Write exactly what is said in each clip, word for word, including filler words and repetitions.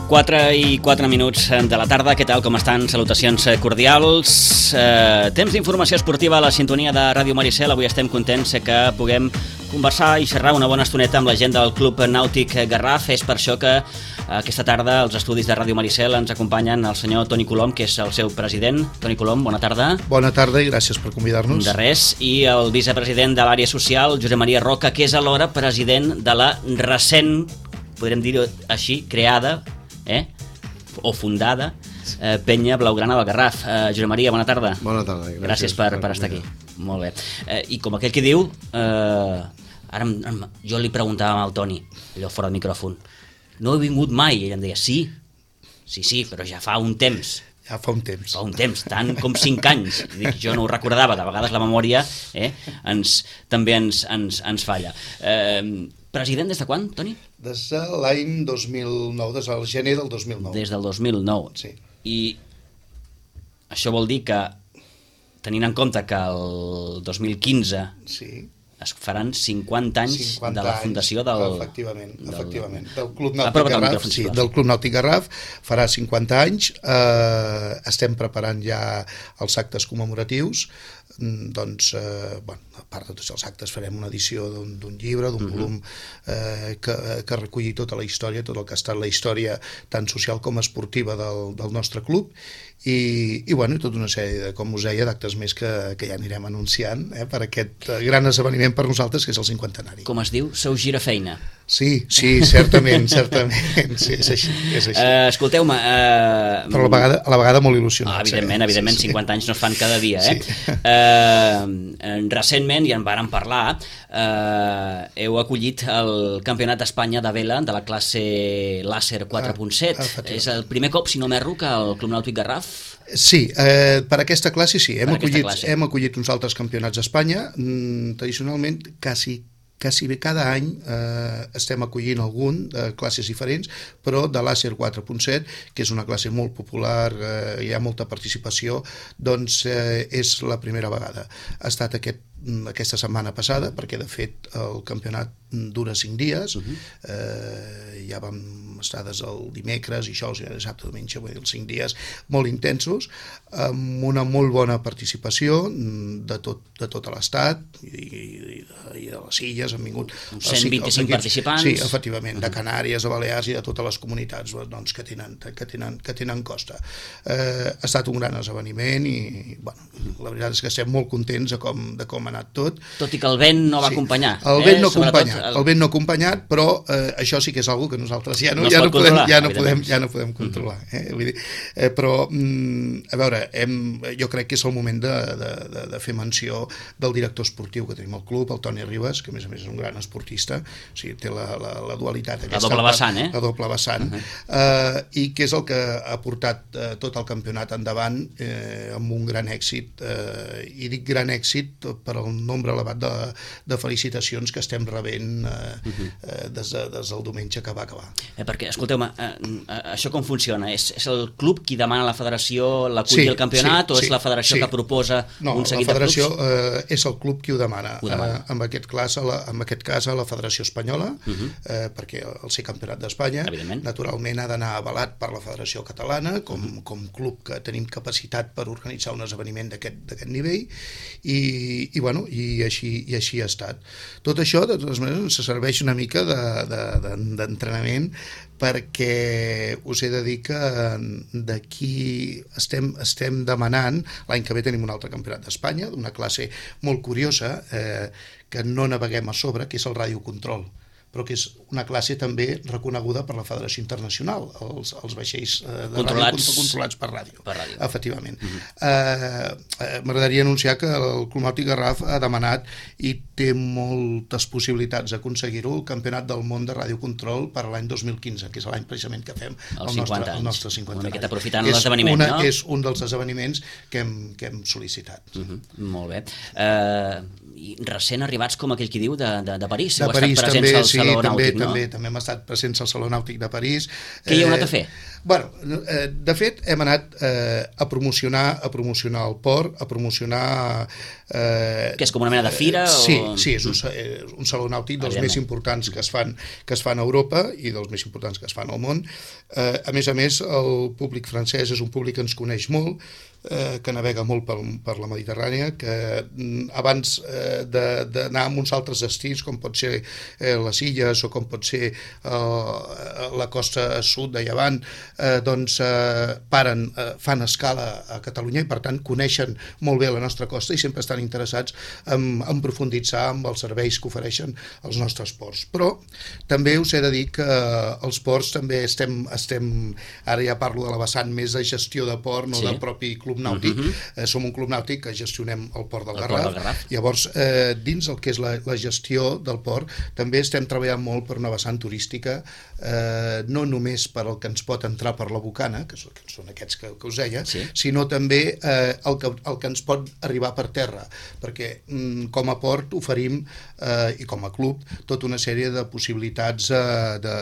quatre i quatre minuts de la tarda. Què tal, com estan? Salutacions cordials. Eh, temps d'informació esportiva a la sintonia de Ràdio Maricel. Avui estem contents que puguem conversar i xerrar una bona estoneta amb la gent del Club Nàutic Garraf. És per això que aquesta tarda als estudis de Ràdio Maricel ens acompanyen el senyor Toni Colom, que és el seu president. Toni Colom, bona tarda. Bona tarda i gràcies per convidar-nos. De res. I el vicepresident de l'àrea social, Josep Maria Roca, que és alhora president de la recent, podrem dir-ho així, creada eh? o fundada eh, Penya Blaugrana del Garraf. Eh, Josep Maria, bona tarda. Bona tarda. Gràcies, gràcies per, per estar aquí. Molt bé. Eh, I com aquell que diu, eh, ara em, em, jo li preguntava al Toni, allò fora del micròfon, no he vingut mai? I ell em deia, sí, sí, sí, però ja fa un temps. Ja fa un temps. Fa un temps, tant com cinc anys. Dic, jo no ho recordava, que a vegades la memòria eh, ens, també ens, ens, ens falla. Eh, president des de quan, Toni? Des de l'any dos mil nou, des del gener del dos mil nou. Des del dos mil nou. Sí. I això vol dir que, tenint en compte que el dos mil quinze sí. es faran cinquanta anys cinquanta de la fundació del... Efectivament, del, efectivament. Del Club Nàutic Garraf, sí, del Club Nàutic Garraf farà cinquanta anys. Eh, estem preparant ja els actes commemoratius. Doncs, eh, bueno, a part de tots els actes farem una edició d'un llibre, d'un uh -huh. volum eh, que, que reculli tota la història, tot el que ha estat la història tant social com esportiva del, del nostre club i, i bueno, tota una sèrie de, com us deia, d'actes més que, que ja anirem anunciant eh, per aquest gran esdeveniment per nosaltres, que és el cinquantenari. Com es diu? Seu girafeina. Sí, sí, certament, certament, sí, és així. És així. Uh, Escolteu-me... Uh, Però a la vegada, a la vegada molt il·lusionats. Ah, evidentment, eh? evidentment, sí, sí. cinquanta anys no es fan cada dia, eh? Sí. Uh, recentment, ja en vàrem parlar, uh, heu acollit el Campionat d'Espanya de vela de la classe Làser quatre punt set. Ah, és el primer cop, si no m'erro, que el Club Nàutic Garraf... Sí, eh, per aquesta classe sí. Hem, acollit, classe. hem acollit uns altres campionats d'Espanya. Mm, tradicionalment, quasi quasi bé cada any eh, estem acollint algun de classes diferents, però de Làser quatre punt set, que és una classe molt popular, eh, hi ha molta participació, doncs eh, és la primera vegada. Ha estat aquest, aquesta setmana passada, perquè de fet el campionat dura cinc dies, uh -huh. eh, ja vam estar des del dimecres, i això, dissabte, diumenge, vull dir, els cinc dies molt intensos, amb una molt bona participació de tot, de tot l'estat i, i, i de les illes han vingut cent vint-i-cinc participants. Sí, efectivament, de Canàries, de Balears i de totes les comunitats doncs, que, tenen, que, tenen, que tenen costa. Eh, ha estat un gran esdeveniment i bueno, la veritat és que estem molt contents de com, de com ha anat tot. Tot i que el vent no va sí. acompanyar. El vent no eh? acompanyat, el... el vent no acompanyat, però eh, això sí que és algo que nosaltres ja no, no, ja no, podem, ja no, podem, podem, ja no podem controlar. Eh? Vull dir, eh, però, mm, a veure, hem, jo crec que és el moment de, de, de, de fer menció del director esportiu que tenim al club, el Toni Ribas, que a més a més és un gran esportista, o sigui, té la, la, la dualitat. La doble vessant, eh? La doble vessant, uh -huh. eh, i que és el que ha portat eh, tot el campionat endavant eh, amb un gran èxit, eh, i dic gran èxit per el nombre elevat de, de felicitacions que estem rebent eh, uh -huh. eh, des, de, des del diumenge que va acabar. Eh, perquè, escolteu-me, eh, això com funciona? És, és el club qui demana a la federació l'acollir sí, el campionat sí, o és sí, la federació sí. que proposa no, un seguit de clubs? No, la federació eh, és el club qui ho demana. Ho demana. Eh, en, aquest cas, a la, en aquest cas a la Federació Espanyola, uh -huh. eh, perquè el ser campionat d'Espanya naturalment ha d'anar avalat per la Federació Catalana com, uh -huh. com club que tenim capacitat per organitzar un esdeveniment d'aquest nivell i, i, bueno, i, així, i així ha estat. Tot això, de totes maneres, ens serveix una mica d'entrenament de, de, perquè us he de dir que d'aquí estem, estem demanant, l'any que ve tenim un altre campionat d'Espanya, d'una classe molt curiosa, eh, que no naveguem a sobre, que és el radiocontrol, però que és una classe també reconeguda per la Federació Internacional, els, els vaixells eh, de controlats, ràdio controlats per ràdio, per ràdio. Efectivament. Uh-huh. eh, eh, M'agradaria anunciar que el Club Nàutic Garraf ha demanat i té moltes possibilitats d'aconseguir-ho, el Campionat del Món de Radiocontrol per l'any dos mil quinze, que és l'any precisament que fem el, el nostre, el nostre cinquanta anys. Una miqueta aprofitant l'esdeveniment, no? És un dels esdeveniments que hem, que hem sol·licitat. Uh-huh. Molt bé. Eh... Uh... i recent arribats, com aquell qui diu, de, de, de París. De Heu París estat també, presents al sí, Saló també, Nàutic, no? també, també hem estat presents al Saló Nàutic de París. Què hi heu anat a fer? Bueno, de fet, hem anat eh, a promocionar a promocionar el port, a promocionar... Eh, que és com una mena de fira? Sí, o... sí, és un, un saló nàutic dels més importants que es fan que es fan a Europa i dels més importants que es fan al món. Eh, a més a més, el públic francès és un públic que ens coneix molt, eh, que navega molt per, per la Mediterrània, que abans eh, d'anar a uns altres destins, com pot ser eh, les illes o com pot ser eh, la costa sud de Llevant, eh, doncs eh, paren, eh, fan escala a Catalunya i per tant coneixen molt bé la nostra costa i sempre estan interessats en, en profunditzar amb els serveis que ofereixen els nostres ports. Però també us he de dir que els ports també estem, estem ara ja parlo de la vessant més de gestió de port, no sí. del propi club nàutic. Uh -huh. eh, som un club nàutic que gestionem el port del el Garraf. Port del Garraf. Llavors, eh, dins el que és la, la gestió del port, també estem treballant molt per una vessant turística, eh, no només per el que ens pot entrar per la Bocana, que són, que són aquests que, que us deia, sí. sinó també eh, el, que, el que ens pot arribar per terra, perquè mm, com a port oferim, eh, i com a club, tota una sèrie de possibilitats eh, de,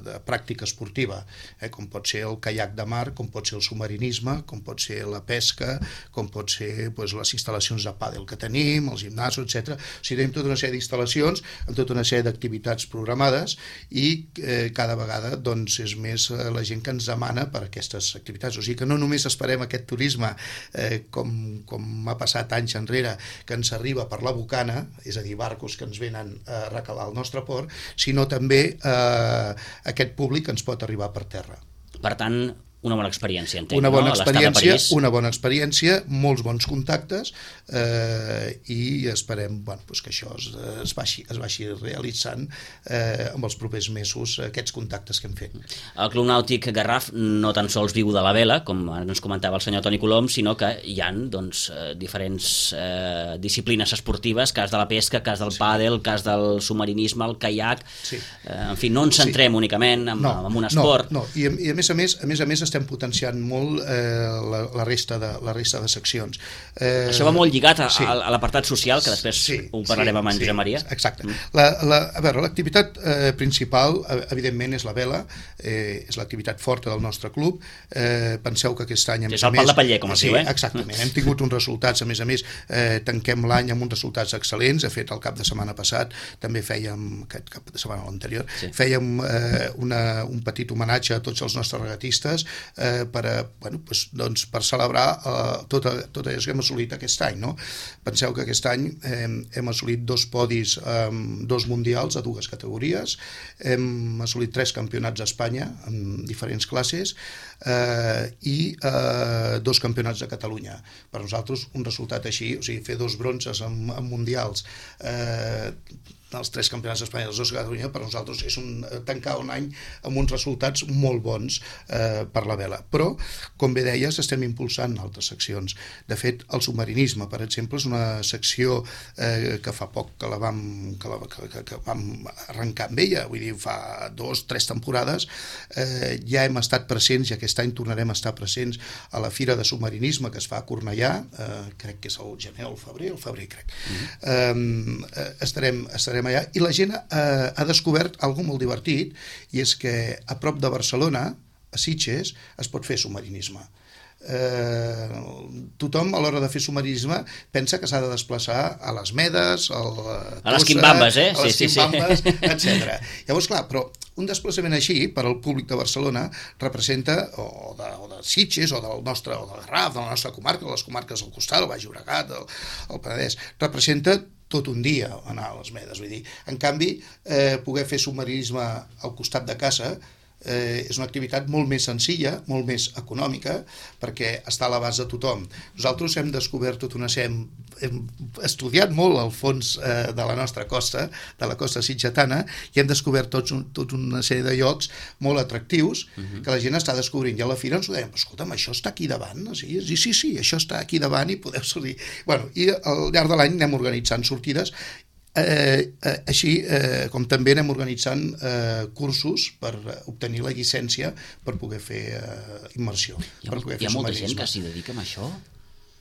de pràctica esportiva, eh, com pot ser el caiac de mar, com pot ser el submarinisme, com pot ser la pesca, com pot ser doncs, les instal·lacions de pàdel que tenim, els gimnasos, etcètera. O sigui, tenim tota una sèrie d'instal·lacions amb tota una sèrie d'activitats programades i eh, cada vegada doncs, és més eh, la gent que ens demana per aquestes activitats. O sigui que no només esperem aquest turisme eh, com, com ha passat anys enrere, que ens arriba per la Bocana, és a dir, barcos que ens venen a recalar al nostre port, sinó també eh, aquest públic que ens pot arribar per terra. Per tant, una bona experiència, entenc, una bona no? experiència, una bona experiència, molts bons contactes eh, i esperem bueno, doncs que això es, es, vagi, es vagi realitzant eh, amb els propers mesos aquests contactes que hem fet. El Club Nàutic Garraf no tan sols viu de la vela, com ens comentava el senyor Toni Colom, sinó que hi ha doncs, diferents eh, disciplines esportives, cas de la pesca, cas del sí. pàdel, cas del submarinisme, el caiac, sí. eh, en fi, no ens centrem sí. únicament en, no, en un esport. No, no. I, i a més a més, a més a més estem potenciant molt eh, la, la, resta de, la resta de seccions. Eh, Això va molt lligat a, sí. a, a l'apartat social, que després sí, ho parlarem sí, amb en sí, Josep Maria. Exacte. Mm. La, la, a veure, l'activitat eh, principal, evidentment, és la vela, eh, és l'activitat forta del nostre club. Eh, penseu que aquest any... És el pal de paller, com es sí, diu, eh? Exactament. Hem tingut uns resultats, a més a més, eh, tanquem l'any amb uns resultats excel·lents. De fet, el cap de setmana passat també fèiem, aquest cap de setmana anterior, sí. fèiem eh, una, un petit homenatge a tots els nostres regatistes Eh, per, a, bueno, pues, doncs, per celebrar eh, tot, tot allò que hem assolit aquest any. No? Penseu que aquest any eh, hem assolit dos podis, eh, dos mundials a dues categories, hem assolit tres campionats d'Espanya en diferents classes eh, i eh, dos campionats de Catalunya. Per nosaltres un resultat així, o sigui, fer dos bronzes en, en mundials, eh, els tres campionats d'Espanya i els dos de Catalunya, per nosaltres és un, tancar un any amb uns resultats molt bons eh, per la vela. Però, com bé deies, estem impulsant altres seccions. De fet, el submarinisme, per exemple, és una secció eh, que fa poc que la vam, que la, que, que vam arrencar amb ella, vull dir, fa dos, tres temporades, eh, ja hem estat presents i aquest any tornarem a estar presents a la Fira de Submarinisme que es fa a Cornellà, eh, crec que és el gener o el febrer, el febrer crec. Mm-hmm. eh, estarem, estarem allà, i la gent eh, ha descobert algo molt divertit, i és que a prop de Barcelona, a Sitges, es pot fer submarinisme. Eh, tothom a l'hora de fer submarinisme pensa que s'ha de desplaçar a les Medes, al, a les Quimbambes, eh? a les sí, Quimbambes, sí, sí. etcètera. Llavors, clar, però un desplaçament així per al públic de Barcelona representa, o de, o de Sitges, o del nostre, o del Garraf, de la nostra comarca, de les comarques del costat, el Baix Llobregat, el, el Penedès, representa tot un dia anar a les Medes. Vull dir, en canvi, eh, poder fer submarinisme al costat de casa eh, és una activitat molt més senzilla, molt més econòmica, perquè està a l'abast de tothom. Nosaltres hem descobert tot una sèrie, hem, hem estudiat molt el fons eh, de la nostra costa, de la costa sitgetana, i hem descobert tots un, tot una sèrie de llocs molt atractius uh-huh. que la gent està descobrint. I a la fira ens ho deien, escolta'm, això està aquí davant? Sí, sí, sí, sí, això està aquí davant i podeu sortir. Bueno, i al llarg de l'any anem organitzant sortides. Eh, eh, així eh, com també anem organitzant eh, cursos per obtenir la llicència per poder fer eh, immersió. Hi ha, per poder hi ha fer molta gent que s'hi dedica a això?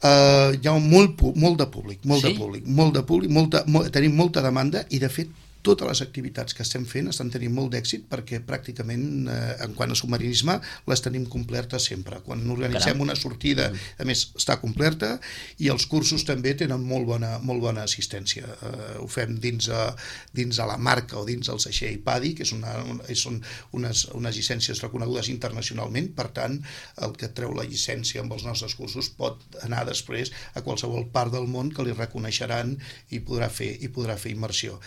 Uh, hi ha molt, molt de públic, molt sí? de públic, molt de públic, molta, molt, tenim molta demanda i de fet totes les activitats que estem fent estan tenint molt d'èxit perquè pràcticament, eh, en quant a submarinisme, les tenim complertes sempre. Quan organitzem Caram. una sortida, a més, està complerta, i els cursos també tenen molt bona, molt bona assistència. Eh, ho fem dins a, dins a la marca o dins al Seixell P A D I, que és una, una, són unes, unes llicències reconegudes internacionalment, per tant, el que treu la llicència amb els nostres cursos pot anar després a qualsevol part del món que li reconeixeran i podrà fer, i podrà fer immersió.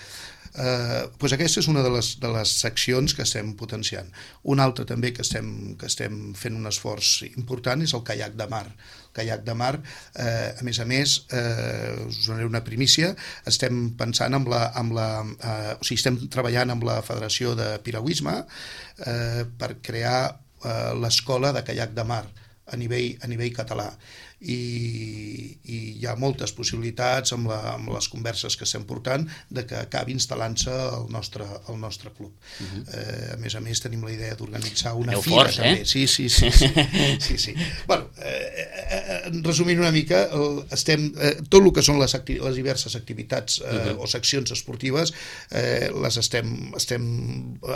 Uh, doncs aquesta és una de les, de les seccions que estem potenciant. Una altra també que estem, que estem fent un esforç important és el caiac de mar. El caiac de mar, eh, a més a més, eh, us donaré una primícia, estem pensant amb la, amb la eh, o sigui, estem treballant amb la Federació de Piragüisme eh, per crear eh, l'escola de caiac de mar a nivell, a nivell català. I, i hi ha moltes possibilitats amb, la, amb les converses que estem portant de que acabi instal·lant-se al nostre, al nostre club. Uh-huh. eh, a més a més tenim la idea d'organitzar una Aneu fira forts, també. Eh? Sí, sí, sí. sí, sí, sí. Bueno, eh, eh, resumint una mica, el, estem, eh, tot el que són les, acti les diverses activitats eh, uh-huh. o seccions esportives eh, les estem, estem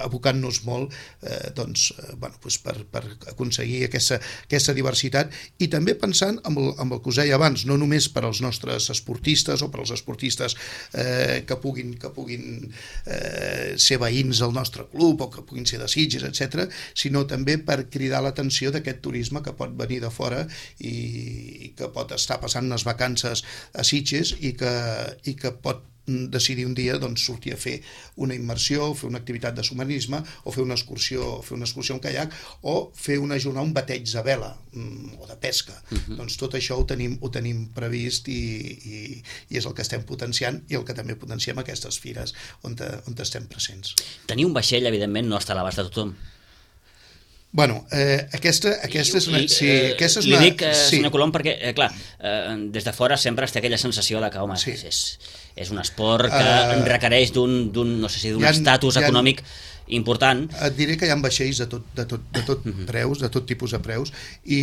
abocant-nos molt eh, doncs, eh, bueno, doncs per, per aconseguir aquesta, aquesta diversitat, i també pensant en Amb el, amb el que us deia abans, no només per als nostres esportistes o per als esportistes eh, que puguin, que puguin eh, ser veïns del nostre club o que puguin ser de Sitges, etcètera, sinó també per cridar l'atenció d'aquest turisme que pot venir de fora i, i que pot estar passant unes vacances a Sitges i que, i que pot decidir un dia doncs, sortir a fer una immersió, fer una activitat de submarinisme o fer una excursió, fer una excursió en caiac o fer una jornada, un bateig de vela mm, o de pesca. Uh-huh. Doncs tot això ho tenim, ho tenim previst i, i, i és el que estem potenciant i el que també potenciem aquestes fires on, te, on estem presents. Tenir un vaixell, evidentment, no està a l'abast de tothom. Bueno, eh, aquesta, aquesta és una... I, sí, eh, aquesta és li una, dic, eh, sí. senyor Colom, perquè, eh, clar, eh, des de fora sempre es té aquella sensació de que, home, sí. és, és un esport que uh, requereix d'un, no sé si d'un estatus econòmic important. Et diré que hi ha vaixells de tot, de tot, de tot uh-huh. preus, de tot tipus de preus, i,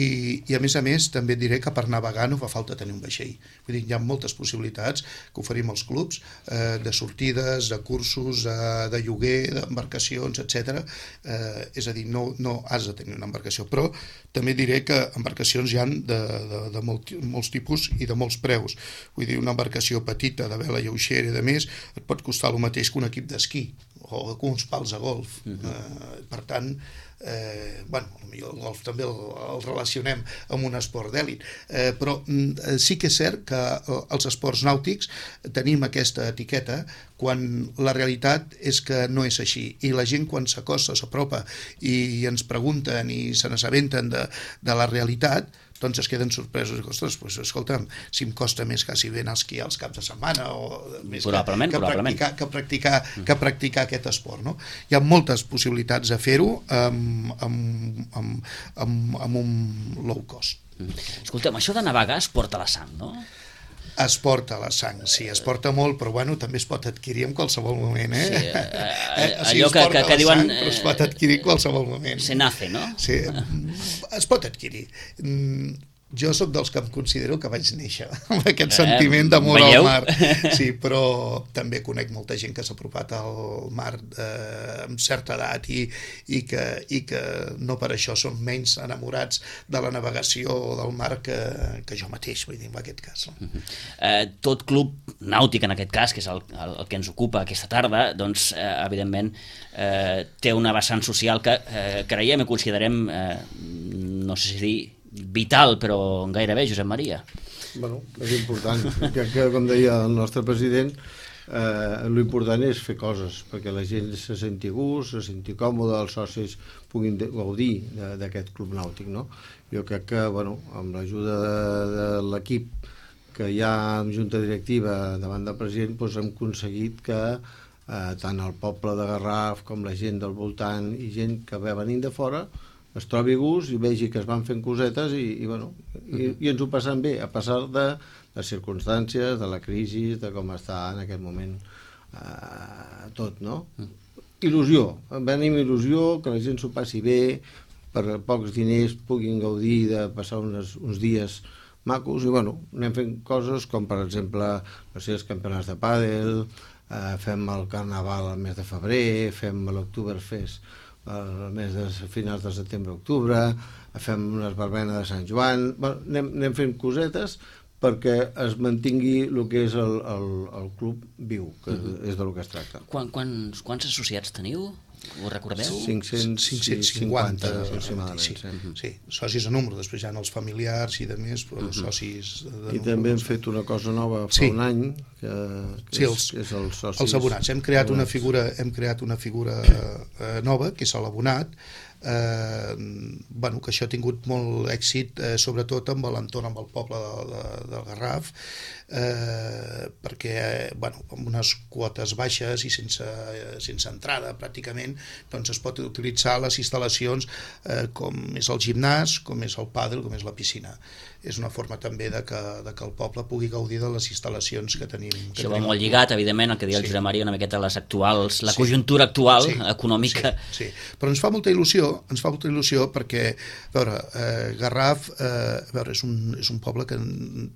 i a més a més també et diré que per navegar no fa falta tenir un vaixell. Vull dir, hi ha moltes possibilitats que oferim als clubs, eh, de sortides, de cursos, de, de lloguer, d'embarcacions, etcètera. Eh, és a dir, no, no has de tenir una embarcació, però també diré que embarcacions hi ha de, de, de molt, molts tipus i de molts preus. Vull dir, una embarcació petita, de vela lleugera i de més, et pot costar el mateix que un equip d'esquí o uns pals a golf. Uh-huh. eh, per tant, eh, bueno, potser el golf també el, el relacionem amb un esport d'èlit, eh, però eh, sí que és cert que els esports nàutics tenim aquesta etiqueta quan la realitat és que no és així, i la gent quan s'acosta, s'apropa i ens pregunten i se n'assabenten de, de la realitat, doncs es queden sorpresos i ostres, pues, escolta'm, si em costa més quasi ben esquiar els caps de setmana o més probablement, que, que, probablement. practicar, que, practicar, que practicar aquest esport, no? Hi ha moltes possibilitats de fer-ho amb, amb, amb, amb, amb un low cost. Escolta'm, això de navegar es porta a la sang, no? Es porta la sang, sí, es porta molt, però bueno, també es pot adquirir en qualsevol moment, eh? Sí, eh, eh, eh allò que, que, que diuen... Sang, però es pot adquirir en qualsevol moment. Se nace, no? Sí, es pot adquirir. Jo sóc dels que em considero que vaig néixer amb aquest eh, sentiment d'amor al mar. Sí, però també conec molta gent que s'ha apropat al mar eh, amb certa edat i, i, que, i que no per això són menys enamorats de la navegació o del mar que, que jo mateix, vull dir, en aquest cas. No? Uh-huh. eh, tot club nàutic, en aquest cas, que és el, el, el que ens ocupa aquesta tarda, doncs, eh, evidentment, eh, té una vessant social que eh, creiem i considerem, eh, no sé si dir, vital, però gairebé, Josep Maria. Bueno, és important. Crec que, com deia el nostre president, eh, l'important és fer coses, perquè la gent se senti a gust, se senti còmode, els socis puguin gaudir d'aquest club nàutic, no? Jo crec que, bueno, amb l'ajuda de, de l'equip que hi ha amb junta directiva davant del president, doncs hem aconseguit que eh, tant el poble de Garraf com la gent del voltant i gent que ve venint de fora es trobi a gust i vegi que es van fent cosetes i, i, bueno, i, i ens ho passem bé, a passar de les circumstàncies, de la crisi, de com està en aquest moment eh, tot, no? Il·lusió, venim il·lusió, que la gent s'ho passi bé, per pocs diners puguin gaudir de passar unes, uns dies macos i, bueno, anem fent coses com, per exemple, no sé, els campionats de pàdel, eh, fem el Carnaval al mes de febrer, fem l'Oktoberfest al mes de finals de setembre-octubre, fem unes verbenes de Sant Joan, bueno, anem, anem fent cosetes perquè es mantingui el que és el, el, el club viu, que uh-huh. és del que es tracta. Quan, quants, quants associats teniu? Ho recordeu? cinc-cents cinquanta aproximadament. Sí, sí, socis a número, després hi ha els familiars i de més, però uh-huh. socis de número. I també hem fet una cosa nova fa sí. un any, que, que sí, és, els, és els socis. Els abonats. Hem creat abonats. una figura, hem creat una figura eh, nova, que és l'abonat, eh, bueno, que això ha tingut molt èxit, eh, sobretot amb l'entorn, amb el poble de, de, del Garraf, eh, perquè eh, bueno, amb unes quotes baixes i sense, eh, sense entrada pràcticament, doncs es pot utilitzar les instal·lacions eh, com és el gimnàs, com és el pàdel, com és la piscina. És una forma també de que, de que el poble pugui gaudir de les instal·lacions que tenim. Que Això tenim. va molt lligat, evidentment, el que deia sí. el Josep Maria, una miqueta les actuals, la sí. conjuntura actual, sí. econòmica. Sí, sí, però ens fa molta il·lusió, ens fa molta il·lusió perquè, a veure, eh, Garraf, eh, a veure, és un, és un poble que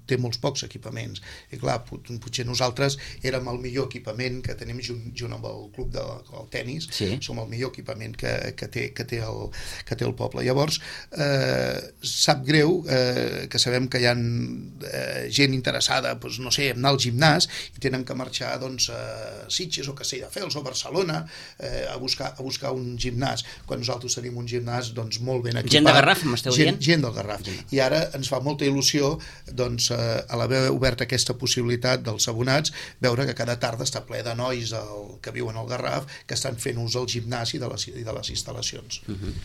té molts pocs equipaments, i clar, potser nosaltres érem el millor equipament que tenim junt, junt amb el club del de, tennis, sí. som el millor equipament que, que, té, que, té el, que té el poble. Llavors, eh, sap greu eh, que sabem que hi ha eh, gent interessada, doncs, no sé, en anar al gimnàs i tenen que marxar doncs, a Sitges o Castelldefels o Barcelona eh, a, buscar, a buscar un gimnàs, quan nosaltres tenim un gimnàs doncs, molt ben equipat. Gent de Garraf, m'esteu dient? Gent, gent del Garraf. Sí. I ara ens fa molta il·lusió doncs, eh, a l'haver obert aquesta possibilitat dels abonats, veure que cada tarda està ple de nois el, que viuen al Garraf que estan fent ús del gimnàs i de les, i de les instal·lacions. Uh-huh.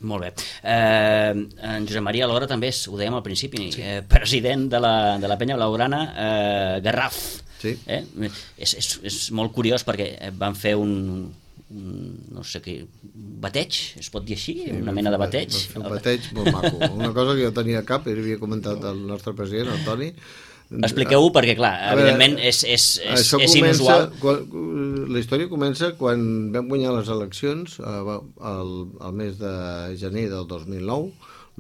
Molt bé. Eh, en Josep Maria Alhora també és, ho dèiem al principi, sí. eh, president de la, de la penya blaugrana eh, Garraf. Sí. Eh? És, és, és molt curiós perquè van fer un, un no sé què, bateig, es pot dir així? Sí, una mena de bateig? Un bateig molt maco. Una cosa que jo tenia a cap, i havia comentat el nostre president, el Toni. Expliqueu-ho perquè, clar, evidentment és, és, és, és comença, inusual. Quan, la història comença quan vam guanyar les eleccions el, el mes de gener del dos mil nou.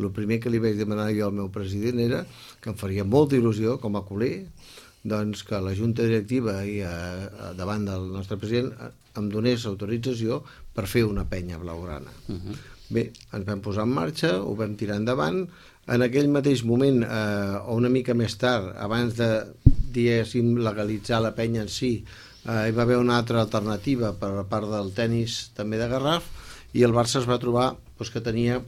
El primer que li vaig demanar jo al meu president era que em faria molta il·lusió com a culer, doncs que la junta directiva i a, a davant del nostre president em donés autorització per fer una penya blaugrana. Uh-huh. Bé, ens vam posar en marxa, ho vam tirar endavant. En aquell mateix moment, eh, o una mica més tard, abans de, diguéssim, legalitzar la penya en si, eh, hi va haver una altra alternativa per a part del tennis també de Garraf, i el Barça es va trobar doncs, que tenia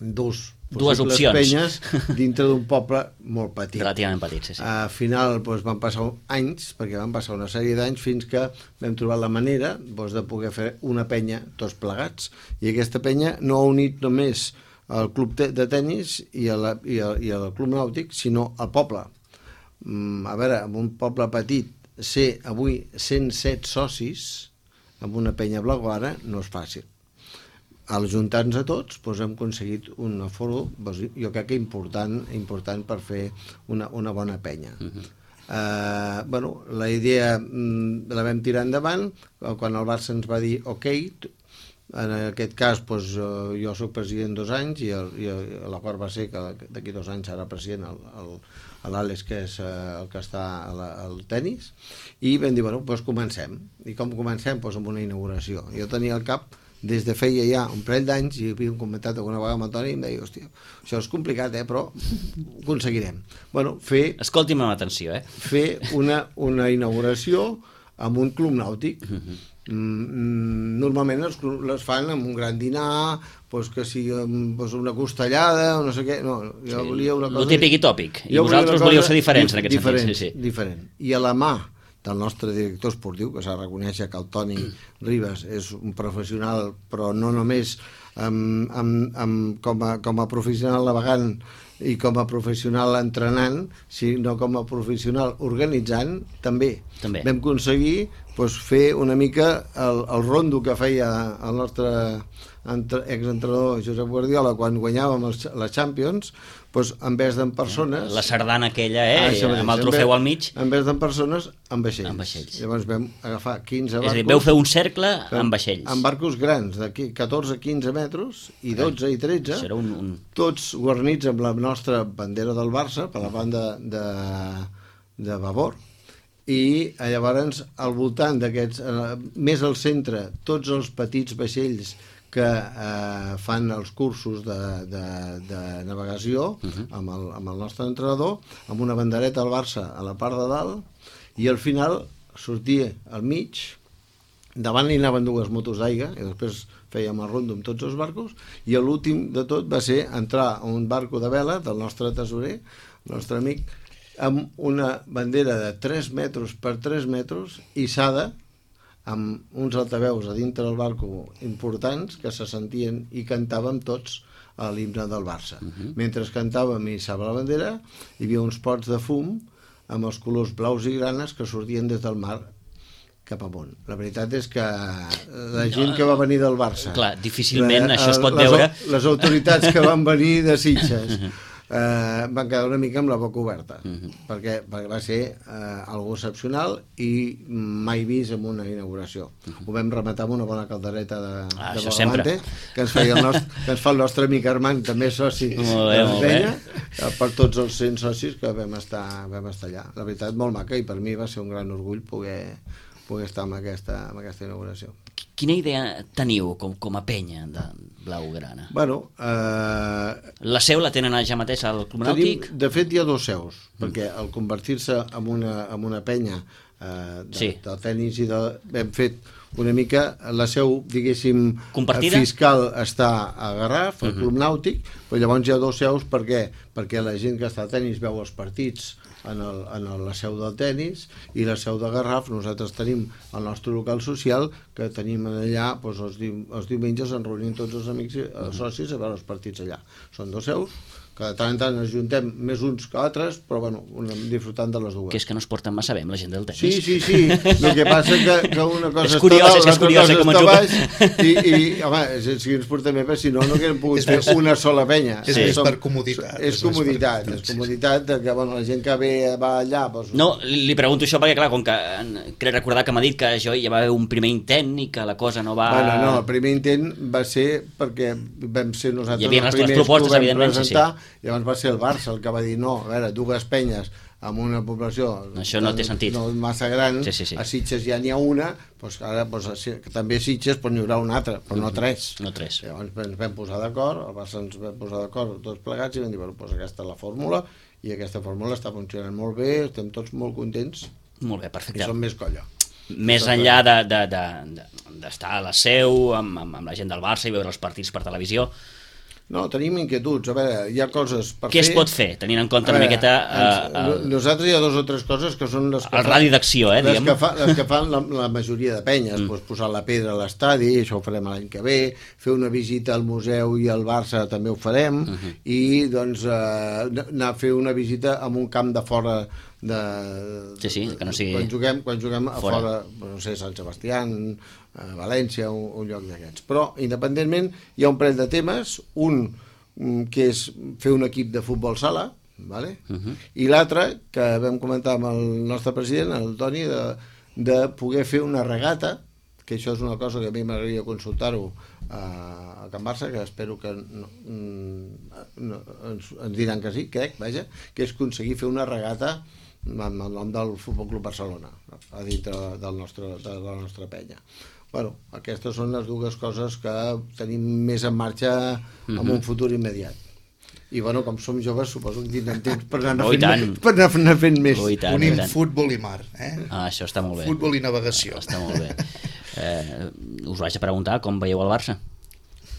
dos dues opcions penyes dintre d'un poble molt petit. Relativament petit, sí, sí. Al final doncs, van passar anys, perquè van passar una sèrie d'anys fins que vam trobar la manera doncs, de poder fer una penya tots plegats, i aquesta penya no ha unit només el club de tennis i el, i, el, i el club nàutic, sinó el poble. Mm, a veure, en un poble petit ser avui cent set socis amb una penya blaugrana no és fàcil. Al juntar-nos a tots doncs hem aconseguit un aforo, doncs, jo crec que important, important per fer una, una bona penya. Uh-huh. Uh, bueno, la idea mm, la vam tirar endavant quan el Barça ens va dir ok. En aquest cas, doncs, jo soc president dos anys i, el, i l'acord va ser que d'aquí dos anys serà president l'Àlex, que és el que està al tennis, i vam dir, bueno, doncs comencem. I com comencem? Doncs amb una inauguració. Jo tenia al cap, des de feia ja un parell d'anys, i havíem comentat alguna vegada amb el Toni, i em deia, hòstia, això és complicat, eh, però ho aconseguirem. Bueno, fer... Escolti'm amb atenció, eh? Fer una, una inauguració amb un club nàutic. Uh-huh. Mm, normalment les, les fan amb un gran dinar, pues que sigui pues una costellada o no sé què. No, jo sí, volia una cosa... El típic i tòpic. I vosaltres volíeu ser diferents en aquest diferent, sentit. Sí, sí. Diferent. I a la mà del nostre director esportiu, que s'ha de reconèixer que el Toni Ribas és un professional, però no només amb, amb, amb, com, a, com a professional navegant i com a professional entrenant, sinó com a professional organitzant, també. també. Vam aconseguir doncs, fer una mica el, el rondo que feia el nostre exentrenador Josep Guardiola quan guanyàvem els, les Champions, doncs, en vez d'en persones... La sardana aquella, eh? Ah, amb el trofeu al mig. En vez d'en persones, en vaixells. En vaixells. Llavors vam agafar quinze barcos... És a dir, veu fer un cercle amb vaixells. Amb barcos grans, de catorze a quinze metres, i dotze i tretze, un, un... tots guarnits amb la nostra bandera del Barça, per la banda de, de babord, i llavors al voltant d'aquests, més al centre, tots els petits vaixells que eh, fan els cursos de, de, de navegació uh-huh. amb, el, amb el nostre entrenador, amb una bandereta al Barça a la part de dalt, i al final sortia al mig, davant hi anaven dues motos d'aigua, i després fèiem el rondo amb tots els barcos, i l'últim de tot va ser entrar a un barco de vela del nostre tesorer, el nostre amic, amb una bandera de tres metres per tres metres, hissada, amb uns altaveus a dintre del barco importants que se sentien i cantàvem tots a l'himne del Barça. Uh-huh. Mentre cantàvem i hissava la bandera, hi havia uns pots de fum amb els colors blaus i granes que sortien des del mar cap amunt. La veritat és que la gent que va venir del Barça... Clar, difícilment la, això es pot les, veure... Les autoritats que van venir de Sitges... Eh, van quedar una mica amb la boca oberta uh-huh. perquè, perquè va ser eh, algo excepcional i mai vist en una inauguració. Uh-huh. Ho vam rematar amb una bona caldereta de, ah, de Bogavante que ens, feia el nostre, que ens fa el nostre amic Armand, també soci molt bé, de l'Esbenya, per tots els cent socis que vam estar, vam estar allà. La veritat, molt maca, i per mi va ser un gran orgull poder, poder estar en aquesta, en aquesta inauguració. Quina idea teniu com, com a penya de Blaugrana? Bueno, eh... la seu la tenen ja mateix al Club Nàutic? De fet, hi ha dos seus, mm. perquè al convertir-se en una, en una penya eh, de, sí. del tenis i de... hem fet una mica la seu, diguéssim, compartida? Fiscal està a Garraf, al uh-huh. Club Nàutic, però llavors hi ha dos seus perquè, perquè la gent que està a tenis veu els partits en, el, en el, la seu del tenis, i la seu de Garraf nosaltres tenim el nostre local social que tenim allà, doncs els, di, els diumenges ens reunim tots els amics i els socis a veure els partits allà. Són dos seus, que de tant en tant ens juntem més uns que altres, però bueno, disfrutant de les dues. Que és que no es porten massa bé amb la gent del tenis. Sí, sí, sí. El que passa que, que una cosa és curiós, està dalt, és curiós, l'altra cosa està baix, i, i home, si ens portem bé, si no, no haguem pogut fer una sola penya. És sí. més per comoditat. És, és comoditat, per... és comoditat de que bueno, la gent que ve va allà... Doncs... No, li pregunto això perquè, clar, com que crec recordar que m'ha dit que això ja va haver un primer intent i que la cosa no va... Bueno, no, el primer intent va ser perquè vam ser nosaltres els primers propostes, que ho vam presentar, sí, sí. Llavors va ser el Barça el que va dir no, a veure, dues penyes amb una població això no té sentit, no massa gran, sí, sí, sí. A Sitges ja n'hi ha una, doncs ara doncs, també a Sitges doncs, n'hi haurà una altra, però no tres. No tres. Llavors ens vam posar d'acord, el Barça ens vam posar d'acord tots plegats i vam dir, bueno, doncs aquesta és la fórmula, i aquesta fórmula està funcionant molt bé, estem tots molt contents. Molt bé, perfecte. I som més colla. Més enllà d'estar de, de, de, de, a la seu, amb, amb, amb la gent del Barça i veure els partits per televisió. No, tenim inquietuds, a veure, hi ha coses per Què fer... Què es pot fer, tenint en compte veure, una miqueta... Ens, uh, uh, nosaltres hi ha dues o tres coses que són les que el radi d'acció, eh, les diguem. Que fa, les que fan la, la majoria de penyes, mm. doncs posar la pedra a l'estadi, això ho farem l'any que ve, fer una visita al museu i al Barça també ho farem, uh -huh. i doncs uh, anar a fer una visita a un camp de fora de... Sí, sí, que no sigui... Quan juguem, quan juguem a fora, fora, no sé, Sant Sebastià, a València, un, un lloc d'aquests. Però, independentment, hi ha un parell de temes, un que és fer un equip de futbol sala, vale? Uh-huh. I l'altre, que vam comentar amb el nostre president, el Toni, de, de poder fer una regata, que això és una cosa que a mi m'agradaria consultar-ho a, a Can Barça, que espero que no, no, ens, ens diran que sí, crec, vaja, que és aconseguir fer una regata amb el nom del Futbol Club Barcelona, a dintre del nostre, de la nostra penya. Bueno, aquestes són les dues coses que tenim més en marxa en un futur immediat. I bueno, com som joves, suposo que tindrem temps per anar, oh, fent, per anar fent més. Oh, tant, Unim futbol i mar, eh? Ah, això està molt bé. Futbol i navegació. Està molt bé. Eh, us vaig a preguntar com veieu el Barça.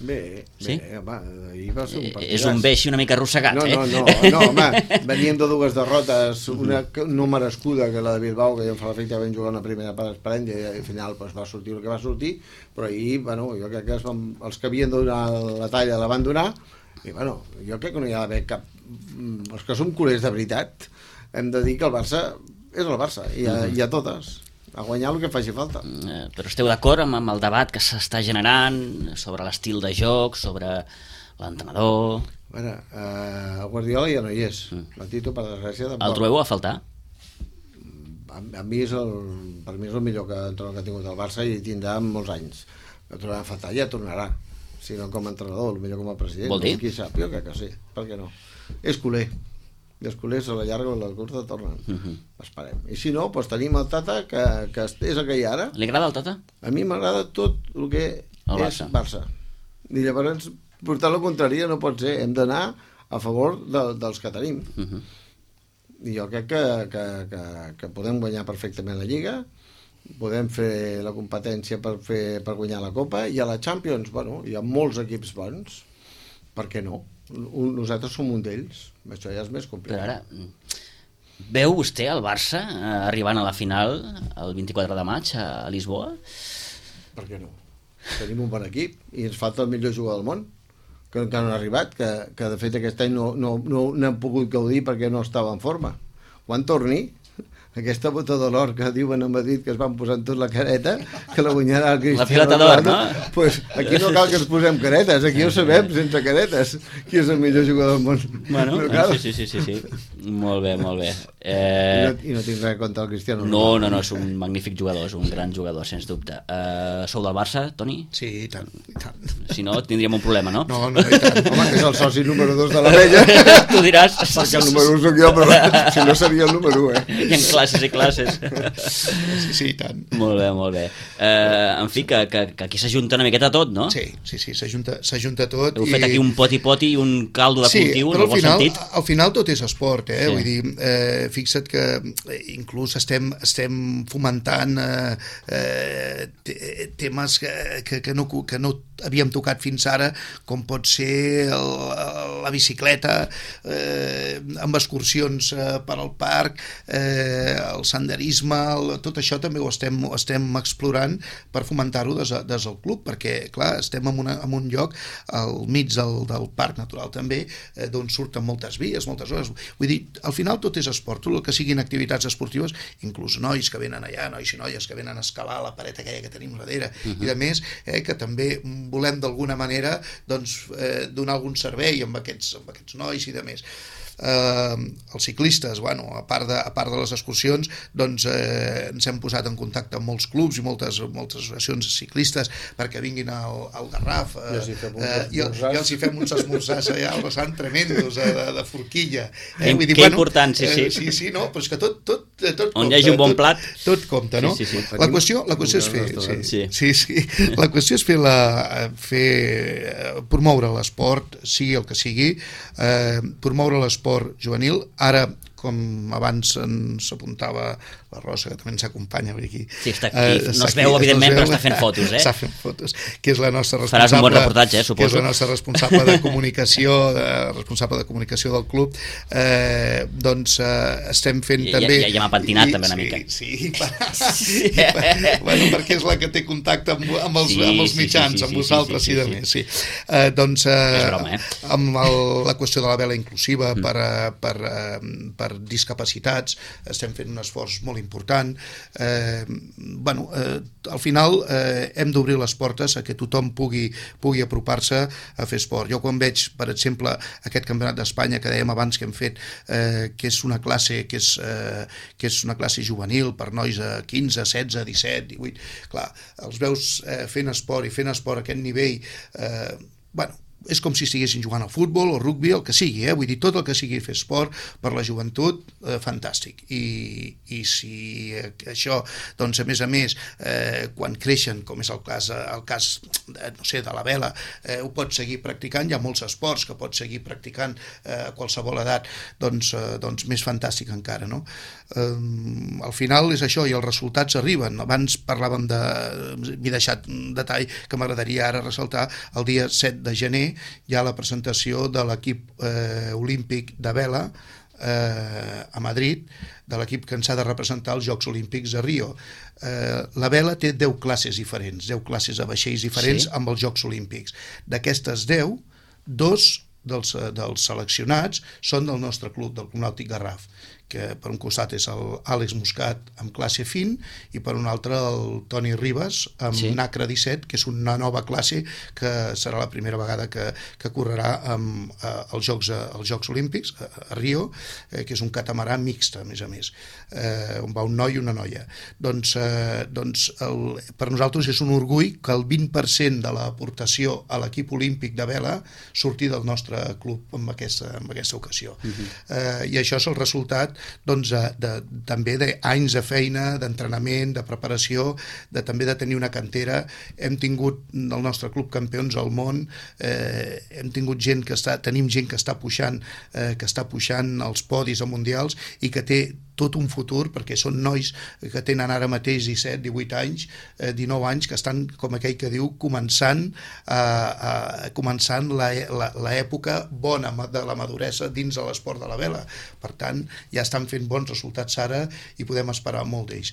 Bé, sí? bé, home, ahir va ser un partit. És un beix una mica arrossegat, no, eh? No, no, no, home, veníem de dues derrotes, una no merescuda, que la de Bilbao, que ja em fa l'efecte vam jugar una primera part esperant, i al final pues, va sortir el que va sortir, però ahir, bueno, jo crec que es van, els que havien de donar la talla la van donar, i bueno, jo crec que no hi ha d'haver cap... Els que som culers de veritat, hem de dir que el Barça és el Barça, i a, i a totes. A guanyar el que faci falta. Eh, però esteu d'acord amb, amb el debat que s'està generant sobre l'estil de joc, sobre l'entrenador? Bueno, eh, el Guardiola ja no hi és. Mm. La Tito, per desgràcia, tampoc. El trobeu a faltar? A, a mi és el, per mi és el millor que, entrenador que ha tingut el Barça i tindrà molts anys. El trobarà a faltar, ja tornarà. Si no com a entrenador, el millor com a president. Vol dir? Qui sap, jo crec que sí. Per què no? És culer. I els culers a la llarga o a la curta tornen. Uh -huh. Esperem. I si no, doncs tenim el Tata, que, que és el que hi ha ara. Li agrada el Tata? A mi m'agrada tot el que el és Barça. Barça. I llavors, portar la contrària no pot ser. Hem d'anar a favor de, dels que tenim. Uh -huh. I jo crec que, que, que, que podem guanyar perfectament la Lliga, podem fer la competència per, fer, per guanyar la Copa, i a la Champions, bueno, hi ha molts equips bons. Per què no? Nosaltres som un d'ells, això ja és més complicat. Però ara, veu vostè el Barça eh, arribant a la final el vint-i-quatre de maig a Lisboa? Per què no? Tenim un bon equip i ens falta el millor jugador del món, que encara no ha arribat, que, que de fet aquest any no, no, no n'hem pogut gaudir perquè no estava en forma. Quan torni, aquesta bota de l'or que diuen a Madrid que es van posant tot la careta, que la guanyarà el Cristiano. La pilota d'or, no? Pues aquí no cal que ens posem caretes, aquí ho sabem sense caretes, qui és el millor jugador del món. Bueno, no, sí, sí, sí, sí, molt bé, molt bé. Eh... I, no, I no tinc res contra el Cristiano. No, no, no, és un magnífic jugador, és un gran jugador, sens dubte. Uh, sou del Barça, Toni? Sí, i tant, i tant. Si no, tindríem un problema, no? No, no, i tant. Home, que és el soci número dos de la vella. Tu diràs. Perquè el número un soc jo, però si no seria el número un, eh? I en classes i classes. Sí, sí, i tant. Molt bé, molt bé. Uh, en fi, que, que, que aquí s'ajunta una miqueta tot, no? Sí, sí, sí, s'ajunta tot. Heu i... fet aquí un poti-poti i un caldo de sí, cultiu, en el bon final, sentit. Al final tot és esport, eh? Sí. Vull dir, eh, fixa't que inclús estem, estem fomentant eh, eh, temes que, que, que, no, que no havíem tocat fins ara, com pot ser el, la bicicleta, eh, amb excursions eh, per al parc, eh, el senderisme, el, tot això també ho estem, ho estem explorant per fomentar-ho des, des del club, perquè, clar, estem en, una, en un lloc al mig del, del parc natural també, eh, d'on surten moltes vies, moltes hores. Vull dir, al final tot és esport, tot el que siguin activitats esportives, inclús nois que venen allà, nois i noies que venen a escalar la paret aquella que tenim darrere, uh-huh. i de més, eh, que també volem d'alguna manera doncs, eh, donar algun servei amb aquests, amb aquests nois i de més. Eh, els ciclistes, bueno, a part de, a part de les excursions, doncs eh, ens hem posat en contacte amb molts clubs i moltes, moltes associacions ciclistes perquè vinguin al, al Garraf, eh, eh, i, i els hi fem uns esmorzars allà al vessant tremendos, eh, de, de forquilla. Eh, Vull dir, que bueno, important, sí, sí. Eh, sí, sí, no, però és que tot, tot, tot on compta. Hi hagi un bon tot, plat. Tot compta, no? Sí, sí, sí. La qüestió, la qüestió és fer... Sí, sí, sí. La qüestió és fer, la, fer promoure l'esport, sigui el que sigui, eh, promoure l'esport juvenil. Ara, com abans ens apuntava la Rosa, que també ens acompanya aquí. Sí, està aquí. Eh, no es veu, evidentment, no es veu, però està fent fotos, eh? Està fent fotos, que és la nostra responsable... Faràs un bon reportatge, eh, suposo. Que és la nostra responsable de comunicació, de, responsable de comunicació del club. Eh, doncs eh, estem fent I, també... Ja, ja m'ha pentinat i, també una sí, mica. Sí, per, sí. Per, bueno, perquè és la que té contacte amb, amb, els, sí, amb els mitjans, sí, sí, sí, amb vosaltres sí, sí, i de sí, més. Sí. Eh, doncs, eh, és broma, eh? Amb el, la qüestió de la vela inclusiva mm. per, per, per discapacitats, estem fent un esforç molt important. Eh, bueno, eh, al final eh, hem d'obrir les portes a que tothom pugui, pugui apropar-se a fer esport. Jo quan veig, per exemple, aquest campionat d'Espanya que dèiem abans que hem fet, eh, que és una classe que és, eh, que és una classe juvenil per nois a quinze, setze, disset, divuit, clar, els veus eh, fent esport i fent esport a aquest nivell, eh, bueno, és com si estiguessin jugant al futbol o rugby, el que sigui, eh? Vull dir, tot el que sigui fer esport per la joventut, eh, fantàstic. I, i si eh, això, doncs, a més a més, eh, quan creixen, com és el cas, el cas de, no sé, de la vela, eh, ho pots seguir practicant, hi ha molts esports que pots seguir practicant eh, a qualsevol edat, doncs, eh, doncs més fantàstic encara, no? Eh, al final és això, i els resultats arriben. Abans parlàvem de... m'he deixat un detall que m'agradaria ara ressaltar, el dia set de gener hi ha la presentació de l'equip eh, olímpic de vela eh, a Madrid, de l'equip que ens ha de representar als Jocs Olímpics de Rio. Eh, la vela té deu classes diferents, deu classes a vaixells diferents, sí, amb els Jocs Olímpics. D'aquestes deu, dos dels, dels seleccionats són del nostre club, del Club Nàutic Garraf. que per un costat és l'Àlex Muscat amb classe fin i per un altre el Toni Ribas amb sí. Nacra disset, que és una nova classe que serà la primera vegada que, que correrà amb, eh, els, Jocs, els Jocs Olímpics a, a Rio, eh, que és un catamarà mixt, a més a més, eh, on va un noi i una noia. Doncs, eh, doncs el, per nosaltres és un orgull que el vint per cent de l'aportació a l'equip olímpic de vela surti del nostre club en aquesta, en aquesta ocasió. Uh-huh. eh, I això és el resultat doncs, de, de, també d'anys de feina, d'entrenament, de preparació, de també de tenir una cantera. Hem tingut el nostre club campions al món, eh, hem tingut gent que està, tenim gent que està puixant, eh, que està puixant els podis a mundials i que té tot un futur, perquè són nois que tenen ara mateix disset, divuit anys, eh, dinou anys, que estan, com aquell que diu, començant, eh, eh, començant l'època bona de la maduresa dins de l'esport de la vela. Per tant, ja estan fent bons resultats ara i podem esperar molt d'ells.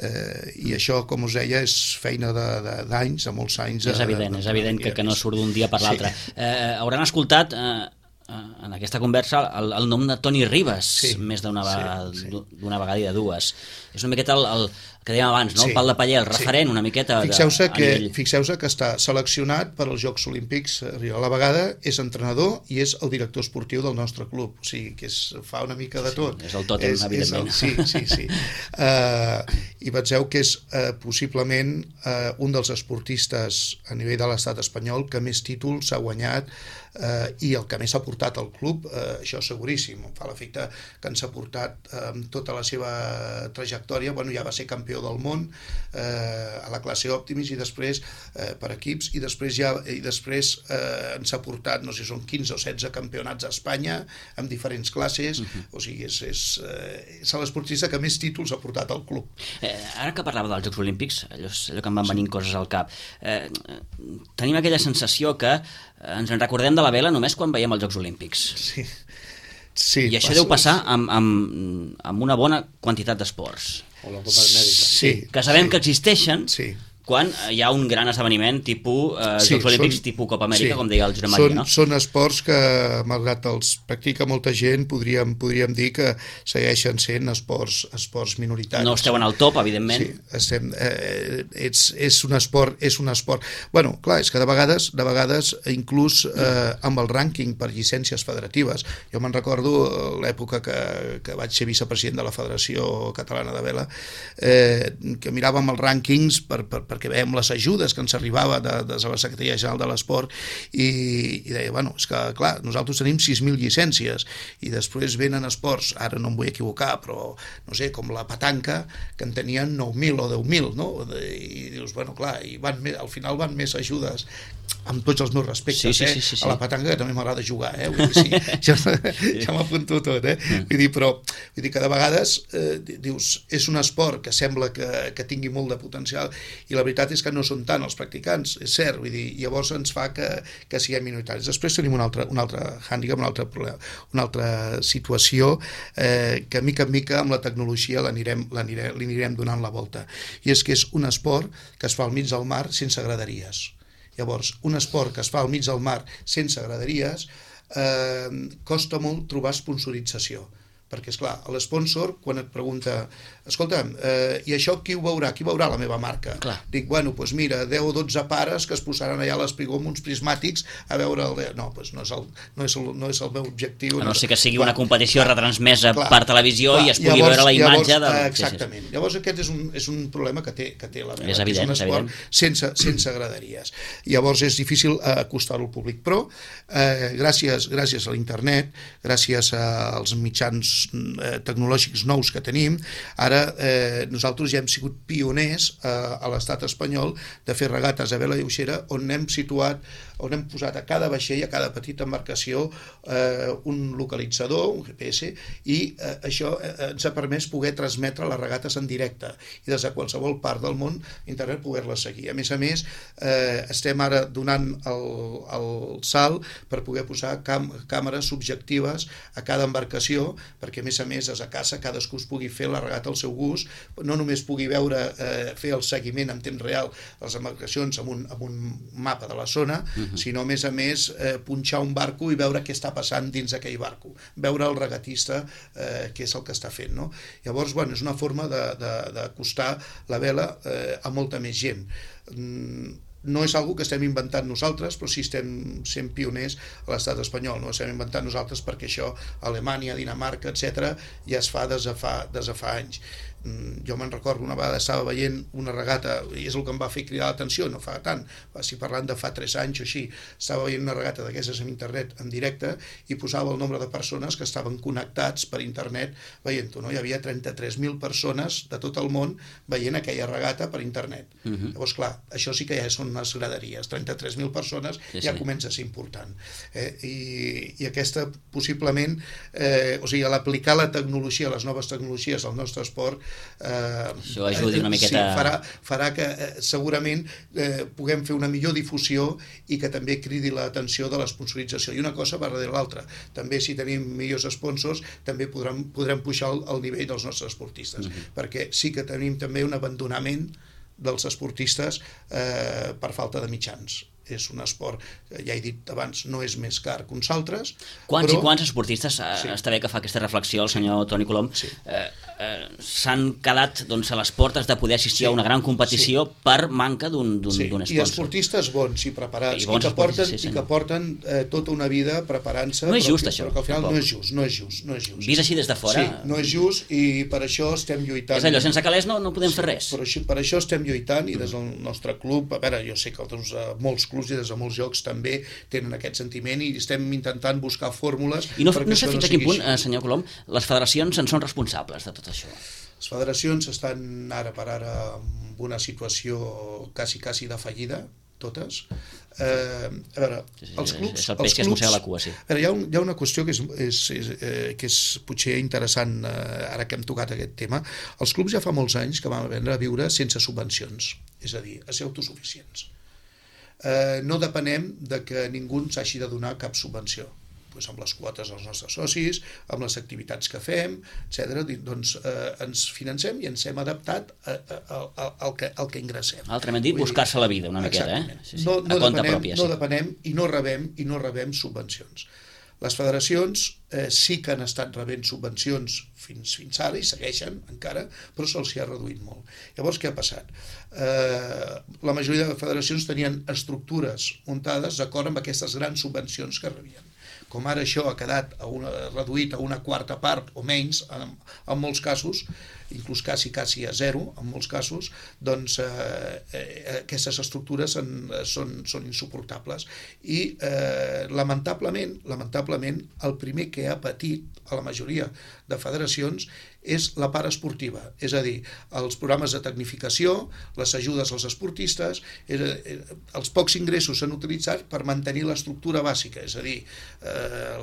Eh, I això, com us deia, és feina d'anys, de, de molts anys. És evident, és evident que, que no surt d'un dia per l'altre. Sí. Eh, hauran escoltat... Eh... en aquesta conversa el, el nom de Toni Ribas, sí, més d'una vegada, sí, sí. d'una vegada i de dues. És una miqueta el, el que dèiem abans, no? Sí, el pal de paller, el referent, sí. Una miqueta de, fixeu-se a que, nivell... Fixeu-se que està seleccionat per als Jocs Olímpics. A la vegada és entrenador i és el director esportiu del nostre club, o sigui que és, fa una mica de tot. Sí, és el tòtem, és, evidentment. És el, sí, sí, sí. uh, I penseu que és uh, possiblement uh, un dels esportistes a nivell de l'estat espanyol que més títols ha guanyat uh, i el que més ha portat al club, uh, això seguríssim. Em fa l'efecte que ens ha portat uh, tota la seva trajectòria. Bueno, ja va ser campió del món eh, a la classe Optimis i després eh, per equips i després ja i després eh, ens ha portat, no sé, són quinze o setze campionats a Espanya amb diferents classes. Uh-huh. O sigui, és, és, eh, és l'esportista que més títols ha portat al club. Eh, ara que parlava dels Jocs Olímpics, allò, allò que em van venint sí. coses al cap, eh, tenim aquella sensació que ens en recordem de la vela només quan veiem els Jocs Olímpics. Sí. Sí, I això passa, deu passar amb, amb, amb una bona quantitat d'esports. O la Copa Amèrica. Sí, que sabem sí, que existeixen sí. quan hi ha un gran esdeveniment tipus eh, sí, Jocs Olímpics, són, tipus Copa Amèrica, sí, com deia el Josep Maria, no? Són esports que, malgrat els practica molta gent, podríem, podríem dir que segueixen sent esports, esports minoritaris. No esteu en el top, evidentment. Sí, estem, eh, ets, és un esport, és un esport... Bueno, clar, és que de vegades, de vegades inclús eh, amb el rànquing per llicències federatives. Jo me'n recordo l'època que, que vaig ser vicepresident de la Federació Catalana de Vela, eh, que miràvem els rànquings per, per perquè veiem les ajudes que ens arribava de, de la Secretaria General de l'Esport i, i deia, bueno, és que clar, nosaltres tenim sis mil llicències i després venen esports, ara no em vull equivocar, però no sé, com la petanca, que en tenien nou mil o deu mil, no? I dius, bueno, clar, i van més, al final van més ajudes, amb tots els meus respectes, sí, sí, eh? Sí, sí, sí. A la petanca, que també m'agrada jugar, eh? Vull dir, sí, ja, ja m'apunto tot, eh? Vull dir, però vull dir que de vegades eh, dius, és un esport que sembla que, que tingui molt de potencial i la veritat és que no són tant els practicants, és cert, vull dir, llavors ens fa que, que siguem minoritaris. Després tenim un altre, un altre hàndicap, un altre problema, una altra situació eh, que mica en mica amb la tecnologia l'anirem, l'anirem, li anirem donant la volta. I és que és un esport que es fa al mig del mar sense graderies. Llavors, un esport que es fa al mig del mar sense graderies eh, costa molt trobar sponsorització. Perquè, esclar, l'esponsor, quan et pregunta escolta'm, eh, i això qui ho veurà? Qui veurà la meva marca? Clar. Dic, bueno, doncs mira, deu o dotze pares que es posaran allà a l'espigó amb uns prismàtics a veure el... No, doncs no és el, no és el, no és el meu objectiu. A no no ser que sigui clar, una competició clar, retransmesa clar, per televisió clar, i es pugui llavors, veure la imatge llavors, de... Exactament. Sí, sí. Llavors aquest és un, és un problema que té, que té la vela. És evident, és un esport sense, sense graderies. Llavors és difícil acostar-ho al públic. Però eh, gràcies, gràcies a l'internet, gràcies als mitjans eh, tecnològics nous que tenim, ara eh, nosaltres ja hem sigut pioners eh, a l'estat espanyol de fer regates a vela lleugera on hem situat, on hem posat a cada vaixell, a cada petita embarcació eh, un localitzador, un G P S, i eh, això eh, ens ha permès poder transmetre les regates en directe i des de qualsevol part del món internet poder-les seguir. A més a més, eh, estem ara donant el, el salt per poder posar cam càmeres subjectives a cada embarcació perquè perquè a més a més és a casa, cadascú es pugui fer la regata al seu gust, no només pugui veure, eh, fer el seguiment en temps real de les embarcacions amb un, amb un mapa de la zona, uh-huh. sinó a més a més eh, punxar un barco i veure què està passant dins d'aquell barco, veure el regatista eh, què és el que està fent, no? Llavors, bueno, és una forma d'acostar la vela eh, a molta més gent. Mm, no és algo que estem inventant nosaltres, però sí estem sent pioners a l'estat espanyol, no estem inventant nosaltres perquè això a Alemanya, Dinamarca, etcètera ja es fa des de fa, des de fa anys. Jo me'n recordo, una vegada estava veient una regata, i és el que em va fer cridar l'atenció, no fa tant, va ser parlant de fa tres anys o així, estava veient una regata d'aquestes en internet en directe i posava el nombre de persones que estaven connectats per internet veient-ho, no? Hi havia trenta-tres mil persones de tot el món veient aquella regata per internet. Uh-huh. Llavors, clar, això sí que ja són unes graderies, trenta-tres mil persones sí, ja sí. comença a ser important. Eh? I, I aquesta, possiblement, eh, o sigui, l'aplicar la tecnologia, les noves tecnologies al nostre esport, Eh, això ajudi una miqueta... Sí, farà, farà que eh, segurament eh, puguem fer una millor difusió i que també cridi l'atenció de l'esponsorització. I una cosa va darrere l'altra. També si tenim millors sponsors també podrem, podrem pujar el, el nivell dels nostres esportistes. Uh-huh. Perquè sí que tenim també un abandonament dels esportistes eh, per falta de mitjans. És un esport, ja he dit abans, no és més car que uns altres. Quants però... i quants esportistes, sí. està bé que fa aquesta reflexió el senyor Toni Colom, sí. eh, eh, s'han quedat doncs, a les portes de poder assistir sí. a una gran competició sí. per manca d'un sí. sponsor. I esportistes bons i preparats, i, bons i que porten, sí, i que porten eh, tota una vida preparant-se. No és just, però, això. Però que al final tampoc. no és just, no és just, no és just. Vist així des de fora... Sí, no és just i per això estem lluitant. És allò, sense calés no, no podem sí, fer res. Per això, per això estem lluitant i des del nostre club, a veure, jo sé que des de molts clubs i des de molts jocs també tenen aquest sentiment i estem intentant buscar fórmules... I no, no sé fins a quin punt, eh, senyor Colom, les federacions en són responsables de tot això. Les federacions estan ara per ara en una situació quasi, quasi de fallida, totes. Eh, a veure, sí, sí, els clubs... És el peix que es mossega la cua, sí. A veure, hi ha, un, hi ha una qüestió que és, és, és, eh, que és potser interessant eh, ara que hem tocat aquest tema. Els clubs ja fa molts anys que van aprendre a viure sense subvencions, és a dir, a ser autosuficients. Eh, no depenem de que ningú ens hagi de donar cap subvenció. Pues amb les quotes dels nostres socis, amb les activitats que fem, etcètera, doncs eh, ens financem i ens hem adaptat a, a, a, al, que, al que ingressem. Altrament dit, buscar-se la vida una miqueta, eh? Sí, sí. No, no, a compte depenem, pròpia, no sí. depenem i no rebem i no rebem subvencions. Les federacions eh, sí que han estat rebent subvencions fins, fins ara i segueixen encara, però se'ls ha reduït molt. Llavors, què ha passat? Eh, la majoria de federacions tenien estructures muntades d'acord amb aquestes grans subvencions que rebien. Com ara això ha quedat a una, reduït a una quarta part o menys, en, en molts casos, inclús quasi, quasi a zero, en molts casos, doncs eh, eh, aquestes estructures en, són, són insuportables. I eh, lamentablement, lamentablement, el primer que ha patit a la majoria de federacions és la part esportiva, és a dir, els programes de tecnificació, les ajudes als esportistes, és a dir, els pocs ingressos s'han utilitzat per mantenir l'estructura bàsica, és a dir, eh,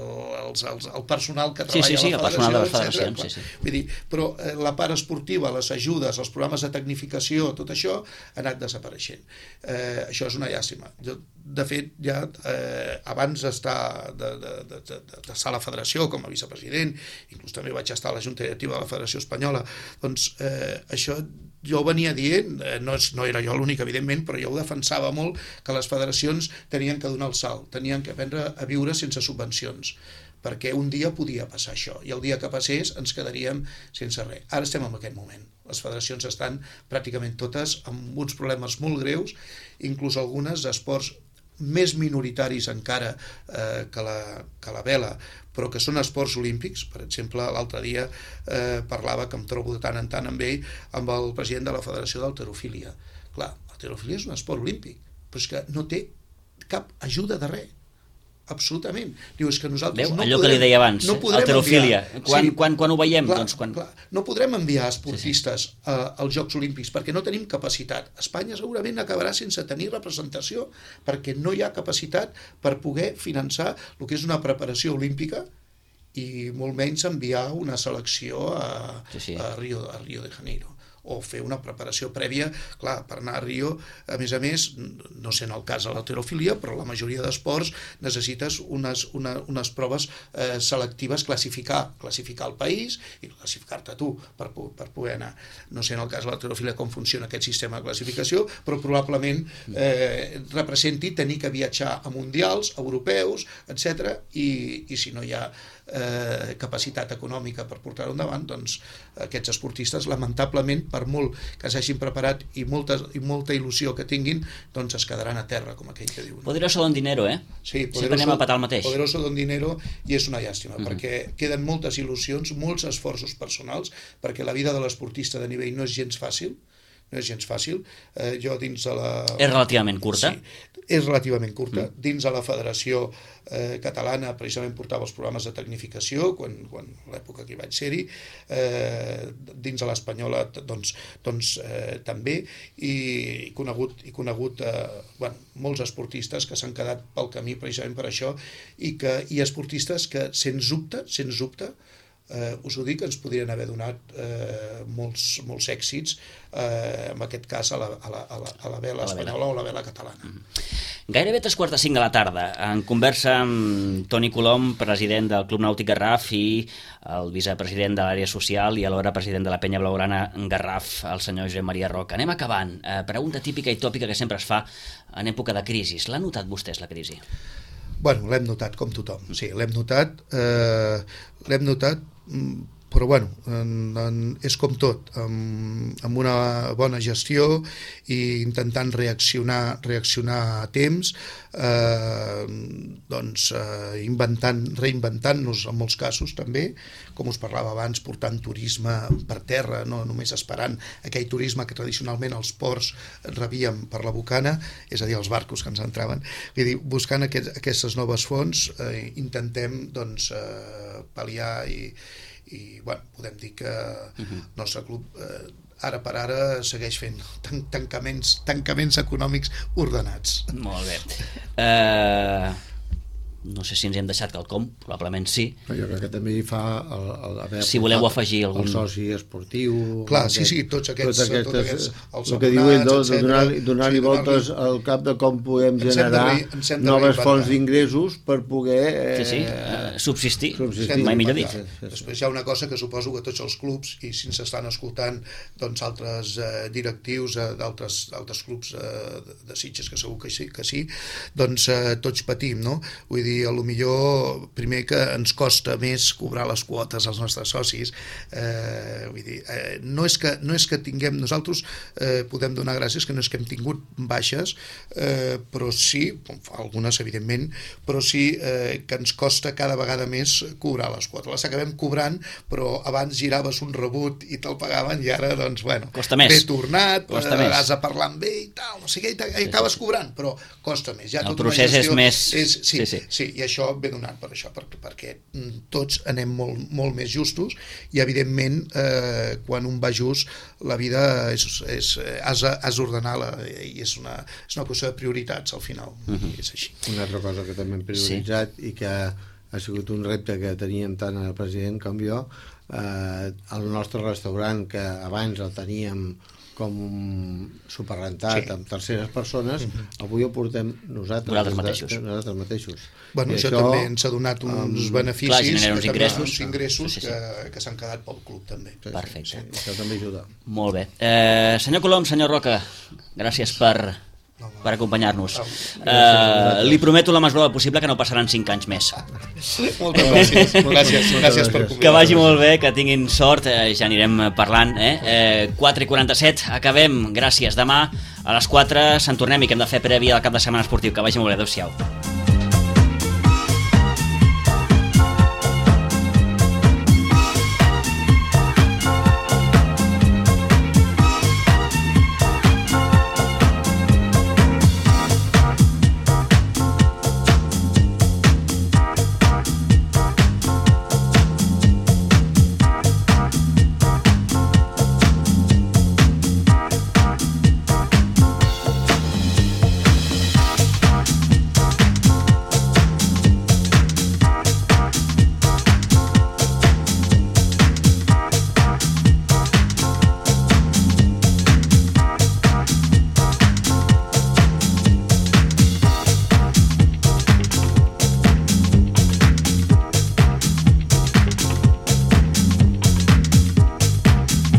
els, els, el personal que treballa sí, sí, sí, a la federació, el personal de les federacions, sí, sí. Vull dir, però eh, la part esportiva, les ajudes, els programes de tecnificació, tot això ha anat desapareixent. Eh, això és una llàstima. Jo, de fet, ja eh, abans d'estar de, de, de, de, de a la federació com a vicepresident, inclús també vaig estar a la Junta Directiva de la Federació Espanyola, doncs eh, això jo venia dient, eh, no, és, no era jo l'únic, evidentment, però jo ho defensava molt, que les federacions tenien que donar el salt, tenien que aprendre a viure sense subvencions, perquè un dia podia passar això, i el dia que passés ens quedaríem sense res. Ara estem en aquest moment. Les federacions estan pràcticament totes amb uns problemes molt greus, inclús algunes d'esports més minoritaris encara eh, que, la, que la vela, però que són esports olímpics. Per exemple, l'altre dia eh, parlava, que em trobo de tant en tant amb ell, amb el president de la Federació d'Halterofília. Clar, l'halterofília és un esport olímpic, però és que no té cap ajuda de res. Absolutament. Diu, és que nosaltres Veu, no allò podrem, que li deia abans, no halterofília. Quan, sí, quan, quan ho veiem? Clar, doncs, quan... clar, no podrem enviar esportistes sí, sí. A, als Jocs Olímpics perquè no tenim capacitat. Espanya segurament acabarà sense tenir representació perquè no hi ha capacitat per poder finançar el que és una preparació olímpica i molt menys enviar una selecció a, sí, sí. a, Rio, a Rio de Janeiro o fer una preparació prèvia, clar, per anar a Rio, a més a més, no sé en el cas de l'halterofília, però la majoria d'esports necessites unes, una, unes proves eh, selectives, classificar, classificar el país i classificar-te tu per, per poder anar. No sé en el cas de l'halterofília com funciona aquest sistema de classificació, però probablement eh, representi tenir que viatjar a mundials, europeus, etcètera, i, i si no hi ha eh, capacitat econòmica per portar-ho endavant, doncs aquests esportistes, lamentablement, per molt que s'hagin preparat i molta, i molta il·lusió que tinguin, doncs es quedaran a terra, com aquell que diuen. Poderoso don dinero, eh? Sí, sempre anem a patar el mateix. Poderoso don dinero, i és una llàstima, mm-hmm. perquè queden moltes il·lusions, molts esforços personals, perquè la vida de l'esportista de nivell no és gens fàcil, no és gens fàcil. Eh, jo dins de la... És relativament curta? Sí, és relativament curta. Mm. Dins de la Federació eh, Catalana precisament portava els programes de tecnificació, quan, quan l'època que hi vaig ser-hi, eh, dins de l'Espanyola doncs, doncs eh, també, i, i conegut, i conegut eh, bueno, molts esportistes que s'han quedat pel camí precisament per això, i, que, i esportistes que, sens dubte, sens dubte, Eh, us ho dic, ens podrien haver donat eh, molts, molts èxits, eh, en aquest cas a la, a la, a la, a la vela espanyola o la vela catalana. Mm. Gairebé tres quarts de cinc de la tarda, en conversa amb Toni Colom, president del Club Nàutic Garraf, i el vicepresident de l'àrea social i alhora president de la Penya Blaugrana Garraf, el senyor Josep Maria Roca. Anem acabant. Eh, pregunta típica i tòpica que sempre es fa en època de crisi. L'ha notat vostès, la crisi? Bueno, l'hem notat com tothom, sí, l'hem notat, eh, l'hem notat, però bueno, en, en, és com tot, amb, amb una bona gestió i intentant reaccionar, reaccionar a temps, eh, doncs eh, inventant, reinventant-nos en molts casos també, com us parlava abans, portant turisme per terra, no només esperant aquell turisme que tradicionalment els ports rebíem per la bocana, és a dir, els barcos que ens entraven. Vull dir, buscant aquest, aquestes noves fonts, eh, intentem doncs, eh, pal·liar i i bueno, podem dir que el nostre club eh, ara per ara segueix fent tan tancaments, tancaments econòmics ordenats. Molt bé. Eh... No sé si ens hem deixat quelcom, probablement sí. Jo crec que també hi fa el, el, el, si voleu afegir algun... el soci esportiu... Clar, sí, sí, tots aquests... Tots aquests, tots aquests els el que diu ell, doncs, donar-li donar sí, voltes donar al cap de com podem generar de, noves fonts d'ingressos per poder... Eh, sí, sí, eh, subsistir, subsistir. mai millor dit. Després hi ha una cosa que suposo que tots els clubs, i si ens estan escoltant doncs, altres eh, directius eh, d'altres clubs eh, de, de Sitges, que segur que sí, que sí doncs eh, tots patim, no? Vull dir, dir, a lo millor, primer que ens costa més cobrar les quotes als nostres socis, eh, vull dir, eh, no, és que, no és que tinguem, nosaltres eh, podem donar gràcies que no és que hem tingut baixes, eh, però sí, algunes evidentment, però sí eh, que ens costa cada vegada més cobrar les quotes. Les acabem cobrant, però abans giraves un rebut i te'l pagaven i ara, doncs, bueno, costa més. Bé tornat, costa eh, més. Has de parlar amb ell i tal, no sé què, i acabes cobrant, però costa més. Ja el tota procés és més... És, sí, sí, sí. Sí, i això ve donat per això, perquè, perquè tots anem molt, molt més justos i, evidentment, eh, quan un va just, la vida és, és, has, has d'ordenar i és una, és una qüestió de prioritats, al final. Uh-huh. És així. Una altra cosa que també hem prioritzat sí. i que ha sigut un repte que teníem tant el president com jo, eh, el nostre restaurant, que abans el teníem com superrentat sí. amb terceres persones, uh-huh. avui ho portem nosaltres, nosaltres mateixos. Nosaltres mateixos. Bueno, això, això també ens ha donat uns um, beneficis, clar, genera uns ingressos, uns ingressos sí, sí, sí. que, que s'han quedat pel club també. Sí, perfecte. Sí, això també ajuda. Molt bé. Eh, senyor Colom, senyor Roca, gràcies per... per acompanyar-nos. Uh, li prometo la mesura possible que no passaran cinc anys més. Moltes gràcies. gràcies, gràcies per convidar. Que vagi molt bé, que tinguin sort, eh, ja anirem parlant. Eh? Eh, quatre i quaranta-set, acabem. Gràcies. Demà a les quatre se'n tornem i que hem de fer prèvia al cap de setmana esportiu. Que vagi molt bé. Adéu-siau.